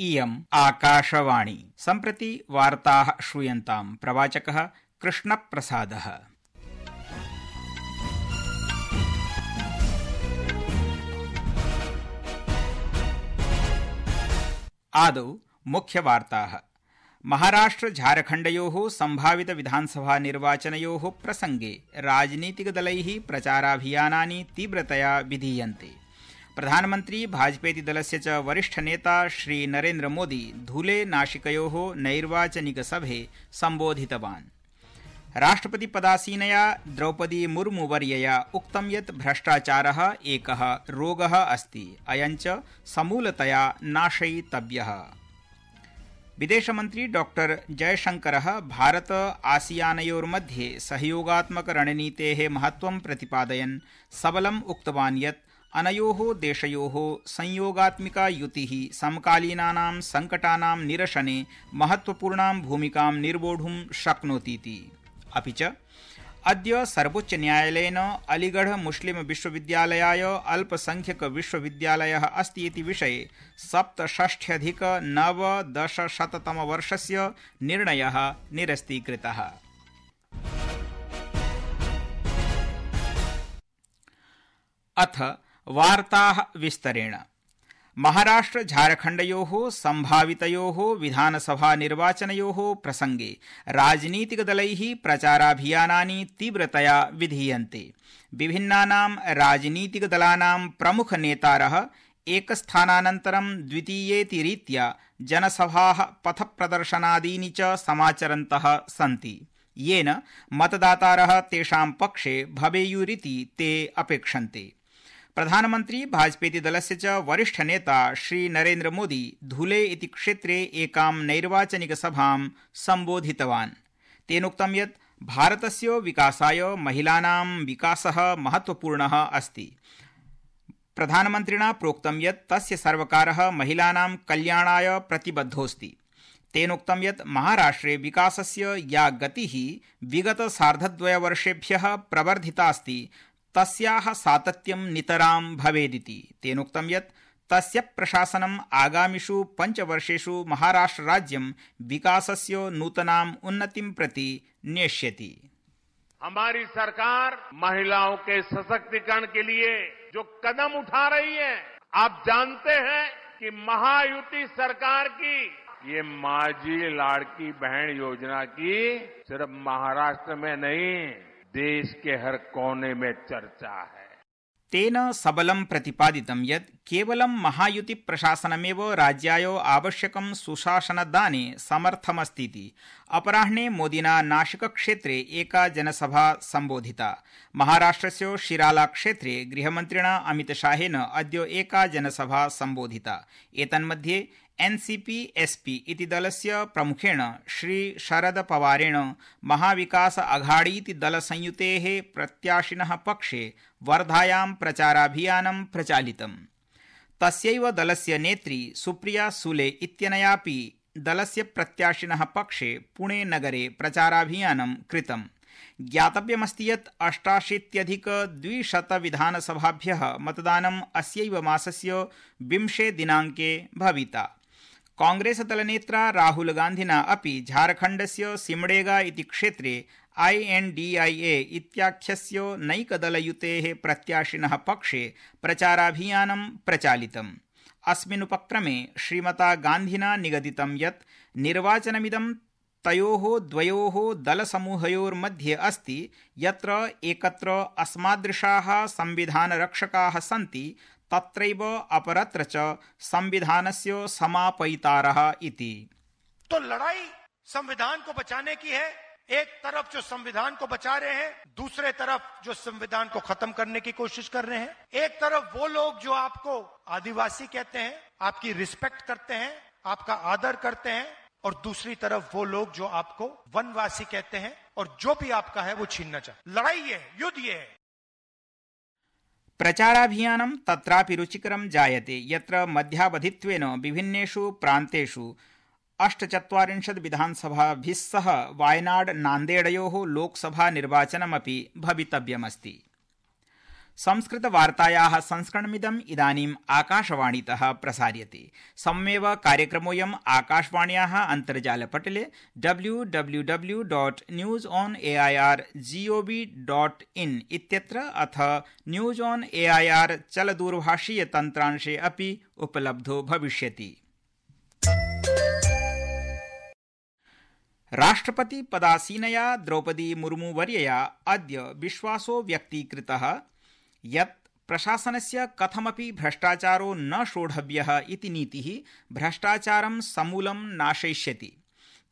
इयम् आकाशवाणी। सम्प्रति वार्ताः श्रूयन्ताम्। प्रवाचकः कृष्णप्रसादः। आदौ मुख्यवार्ताः। महाराष्ट्र झारखण्डयोः सम्भावित विधानसभा निर्वाचनयोः प्रसंगे राजनीतिकदलैः प्रचाराभियानानि तीव्रतया विधीयन्ते। प्रधानमन्त्री भाजपेति दलस्य च वरिष्ठनेता श्री नरेन्द्र मोदी धूले नाशिकयोः नैर्वाचनिकसभे सम्बोधितवान्। राष्ट्रपतिपदासीनया द्रौपदी मुर्मुवर्यया उक्तं यत् भ्रष्टाचारः एकः रोगः अस्ति, अयं च समूलतया नाशयितव्यः। विदेशमन्त्री डॉ जयशंकरः भारत आसियानयोर्मध्ये सहयोगात्मकरणनीतेः महत्त्वं प्रतिपादयन् सबलम् उक्तवान् यत् अनयोः देशयोः संयोगात्मिका युतिः समकालीनानां संकटानां निरसने महत्त्वपूर्णां भूमिकां निर्वोढुं शक्नोतीति। अपि च अद्य सर्वोच्चन्यायालयेन अलीगढ़ मुस्लिम विश्वविद्यालयाय अल्पसंख्यक विश्वविद्यालयः अस्ति इति विषये 67,910-तमवर्षस्य निर्णयः निरस्तीकृतः। अथ वार्ताः विस्तरेण। महाराष्ट्र झारखण्डयोः सम्भावितयोः विधानसभा निर्वाचनयोः प्रसंगे राजनीतिकदलैः प्रचाराभियानानि तीव्रतया विधीयन्ते। विभिन्नानां राजनीतिकदलानां प्रमुखनेतारः एकस्थानानन्तरं द्वितीयेति रीत्या जनसभाः पथप्रदर्शनादीनि च समाचरन्तः सन्ति, येन मतदातारः तेषां पक्षे भवेयुरिति ते अपेक्षन्ते। प्रधानमन्त्री भाजपेति दलस्य च वरिष्ठनेता श्री नरेन्द्र मोदी धूले इति क्षेत्रे एकां नैर्वाचनिकसभां सम्बोधितवान्। तेनोक्तं यत् भारतस्य विकासाय महिलानां विकासः महत्त्वपूर्णः अस्ति। प्रधानमन्त्रिणा प्रोक्तं यत् तस्य सर्वकारः महिलानां कल्याणाय प्रतिबद्धोऽस्ति। तेनोक्तं यत् महाराष्ट्रे विकासस्य या गतिः विगत सार्धद्वयवर्षेभ्यः प्रवर्धितास्ति तस्याः सातत्यं नितरां भवेदिति। तेनोक्तं यत् तस्य प्रशासनम् आगामिषु 5 वर्षेषु महाराष्ट्रराज्यं विकासस्य नूतनाम् उन्नतिं प्रति नेष्यति। हमारी सरकार महिलाओं के सशक्तिकरण के लिए जो कदम उठा रही है, आप जानते हैं कि महायुति सरकार की ये माझी लाड़की बहन योजना की सिर्फ महाराष्ट्र में नहीं, देश के हर कोने में चर्चा है। तेन सबलं प्रतिपादितं यत् केवलं महायुति प्रशासनमेव राज्याय आवश्यकं सुशासनदाने समर्थमस्तीति। अपराह्ने मोदिना नाशिक क्षेत्रे एका जनसभा सम्बोधिता। महाराष्ट्रस्य शिराला क्षेत्रे गृहमन्त्रिणा अमितशाहेन अद्य एका जनसभा सम्बोधिता। एतन्मध्ये एनसीपी एसपी इति दलस्य प्रमुखेण श्री शरद पवारेण महाविकास अघाड़ीति दलसंयुतेः प्रत्याशिनः पक्षे वर्धायां प्रचाराभियानं प्रचालितम्। तस्यैव दलस्य नेत्री सुप्रिया सुले इत्यनयापि दलस्य प्रत्याशिनः पक्षे पुणे नगरे प्रचाराभियानं कृतम्। ज्ञातव्यमस्ति यत् 88,200 विधानसभाभ्यः मतदानम् अस्यैव मासस्य 20 दिनाङ्के भविता। कांग्रेसदलनेत्रा राहुल गान्धिना अपि झारखण्डस्य सिमडेगा इति क्षेत्रे INDIA इत्याख्यस्य नैकदलयुतेः प्रत्याशिनः पक्षे प्रचाराभियानं प्रचालितम्। अस्मिन्नुपक्रमे श्रीमता गान्धिना निगदितं यत् निर्वाचनमिदं तयोः द्वयोः दलसमूहयोर्मध्ये अस्ति, यत्र एकत्र अस्मादृशाः संविधानरक्षकाः सन्ति, तत्रैव अपरत्र च संविधानस्य समापयितारः इति। तो लड़ाई संविधान को बचाने की है। एक तरफ जो संविधान को बचा रहे हैं, दूसरे तरफ जो संविधान को खत्म करने की कोशिश कर रहे हैं। एक तरफ वो लोग जो आपको आदिवासी कहते हैं, आपकी रिस्पेक्ट करते हैं, आपका आदर करते हैं, और दूसरी तरफ वो लोग जो आपको वनवासी कहते हैं और जो भी आपका है वो छीनना चाहते। लड़ाई ये है, युद्ध ये है। प्रचाराभियानं तत्रापि रुचिकरं जायते, यत्र मध्यावधित्वेन विभिन्नेषु प्रान्तेषु 48 विधानसभाभिः सह वायनाड नान्देडयोः लोकसभा निर्वाचनमपि भवितव्यमस्ति। संस्कृतवार्तायाः संस्करणमिदम् इदानीम् आकाशवाणीतः प्रसार्यते। सममेव कार्यक्रमोऽयम् आकाशवाण्याः अन्तर्जालपटले www.newsonair.gov.in इत्यत्र अथ न्यूज ऑन एआईआर चलदूरभाषीय तन्त्रांशे अपि उपलब्धो भविष्यति। राष्ट्रपति पदासीनया द्रौपदी मुर्मू वर्यया अद्य विश्वासो व्यक्तीकृतः यत् प्रशासनस्य कथमपि भ्रष्टाचारो न शोढव्यः इति नीतिः भ्रष्टाचारं समूलं नाशयिष्यति।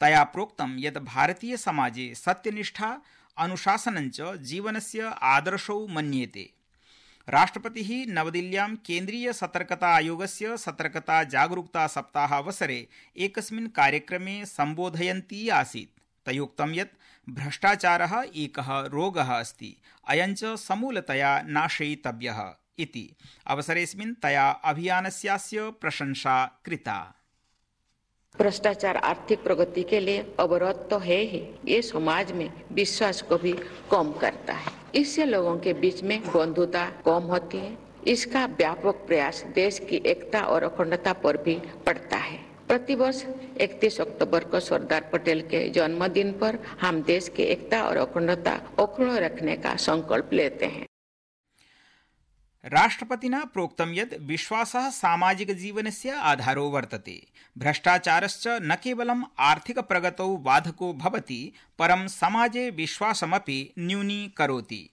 तया प्रोक्तं यत् भारतीय समाजे सत्यनिष्ठा अनुशासनञ्च जीवनस्य आदर्शौ मन्येते। राष्ट्रपतिः नवदिल्ल्यां केन्द्रीय सतर्कता आयोगस्य सतर्कता जागरूकता सप्ताहावसरे एकस्मिन् कार्यक्रमे सम्बोधयन्ती आसीत्। तयोक्तं यत् भ्रष्टाचारः एकः रोगः अस्ति, अयञ्च समूलतया नाशयितव्यः इति। अवसरेऽस्मिन् तया अभियानस्यास्य प्रशंसा कृता। भ्रष्टाचार आर्थिक प्रगति के लिए अवरोध तो है ही, ये समाज में विश्वास को भी कम करता है। इससे लोगों के बीच में बंधुता कम होती है। इसका व्यापक प्रयास देश की एकता और अखंडता पर भी पड़ता है। प्रतिवर्ष 31 अक्टूबर को सरदार पटेल के जन्मदिन पर हम देश की एकता और अखंडता अक्षुण्ण रखने का संकल्प लेते हैं। राष्ट्रपतिना प्रोक्तं यत् विश्वासः सामाजिकजीवनस्य आधारो वर्तते। भ्रष्टाचारश्च न केवलम् आर्थिकप्रगतौ बाधको भवति, परं समाजे विश्वासमपि न्यूनीकरोति।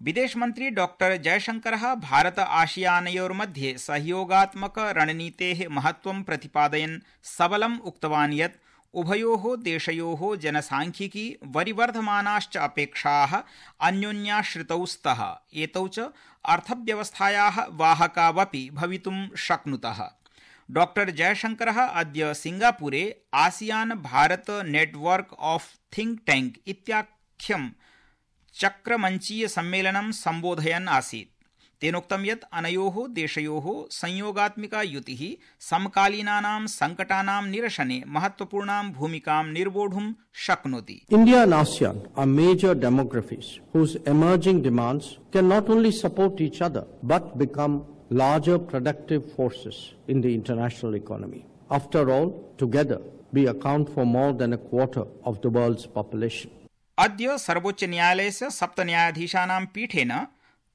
विदेशमन्त्री डॉक्टर जयशंकरः भारत आसियानयोर्मध्ये सहयोगात्मक रणनीतेः महत्त्वं प्रतिपादयन् सबलम् उक्तवान् यत् उभयोः देशयोः जनसांख्यिकी वरिवर्धमानाश्च अपेक्षाः अन्योन्याश्रितौ स्तः। एतौ च अर्थव्यवस्थायाः वाहकावपि भवितुं शक्नुतः। डॉक्टर जयशंकरः अद्य सिंगापुरे ASEAN Bharat network of think tank इत्याख्यं चक्रमंचीय सम्मेलनं सम्बोधयन् आसीत्। तेनोक्तं यत् अनयोः देशयोः संयोगात्मिका युतिः समकालीनानां संकटानां निरसने महत्वपूर्णां भूमिकां निर्वोढुं शक्नोति। India and ASEAN are major demographies whose emerging demands can not only support each other but become larger productive forces in the international economy. After all, together we account for more than a quarter of the world's population. अद्य सर्वोच्च न्यायालयस्य 7 न्यायाधीशानां पीठेन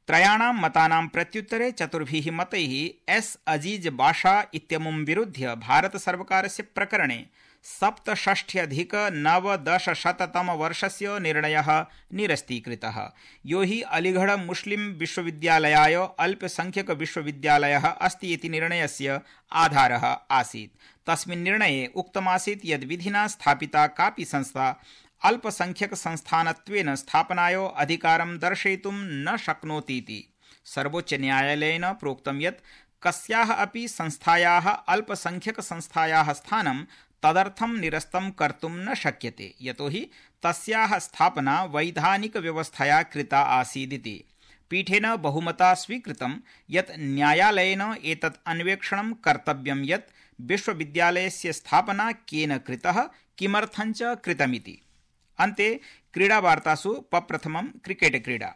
त्रयाणां मतानां प्रत्युत्तरे 4 मतैः S अजीज बाशा इत्यमुं विरुध्य भारत सर्वकारस्य प्रकरणे 67,990-तमवर्षस्य निर्णयः निरस्तीकृतः। यो हि अलीगढ़ मुस्लिम विश्वविद्यालयाय अल्पसंख्यक विश्वविद्यालयः अस्ति इति निर्णयस्य आधारः आसीत्। तस्मिन् निर्णये उक्तमासीत् यद् विधिना स्थापिता कापि संस्था अल्पसंख्यक संस्थानत्वेन स्थापनाय अधिकारं दर्शयितुं न शक्नोतीति। सर्वोच्च न्यायालयेन प्रोक्तं यत् कस्याः अपि संस्थायाः अल्पसंख्यक संस्थायाः स्थानं तदर्थं निरस्तं कर्तुं न शक्यते, यतोहि तस्याः स्थापना वैधानिक व्यवस्थया कृता आसीदिति। पीठेन बहुमता स्वीकृतं यत् न्यायालयेन एतत् अन्वेषणं कर्तव्यं यत् विश्वविद्यालयस्य स्थापना केन कृतः, किमर्थञ्च कृतमिति। अन्ते क्रीडावार्तासु प्रप्रथमं क्रिकेट क्रीडा।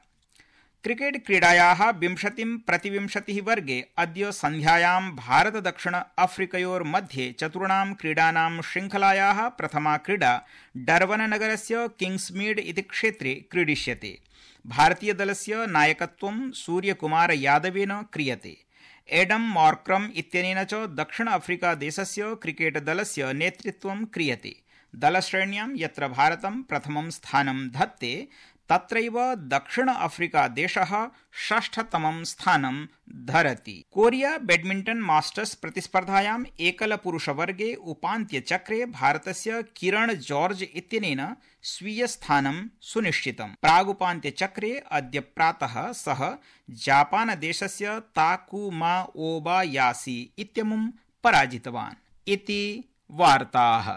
क्रिकेट क्रीडायाः 20-20 वर्गे अद्य सन्ध्यायां भारत दक्षिण अफ्रीकयोर्मध्ये चतुर्णां क्रीडानां श्रृङ्खलायाः प्रथमा क्रीडा डर्बन नगरस्य किंग्समीड इति क्षेत्रे क्रीडिष्यते। भारतीयदलस्य नायकत्वं सूर्यकुमार यादवेन क्रियते। एडम मॉर्क्रम इत्यनेन च दक्षिण अफ्रीका देशस्य क्रिकेट दलस्य नेतृत्वं क्रियते। दलश्रेण्यां यत्र भारतं प्रथमं स्थानं धत्ते, तत्रैव दक्षिण अफ्रीका देशः 6ठतमं स्थानं धरति। कोरिया बैडमिंटन मास्टर्स प्रतिस्पर्धायाम् एकलपुरुषवर्गे उपान्त्यचक्रे भारतस्य किरण जॉर्ज इत्यनेन स्वीयस्थानं सुनिश्चितम्। प्रागुपान्त्यचक्रे अद्य प्रातः सः जापानदेशस्य ताकुमा ओबायासी इत्यमुं पराजितवान्। इति वार्ताः।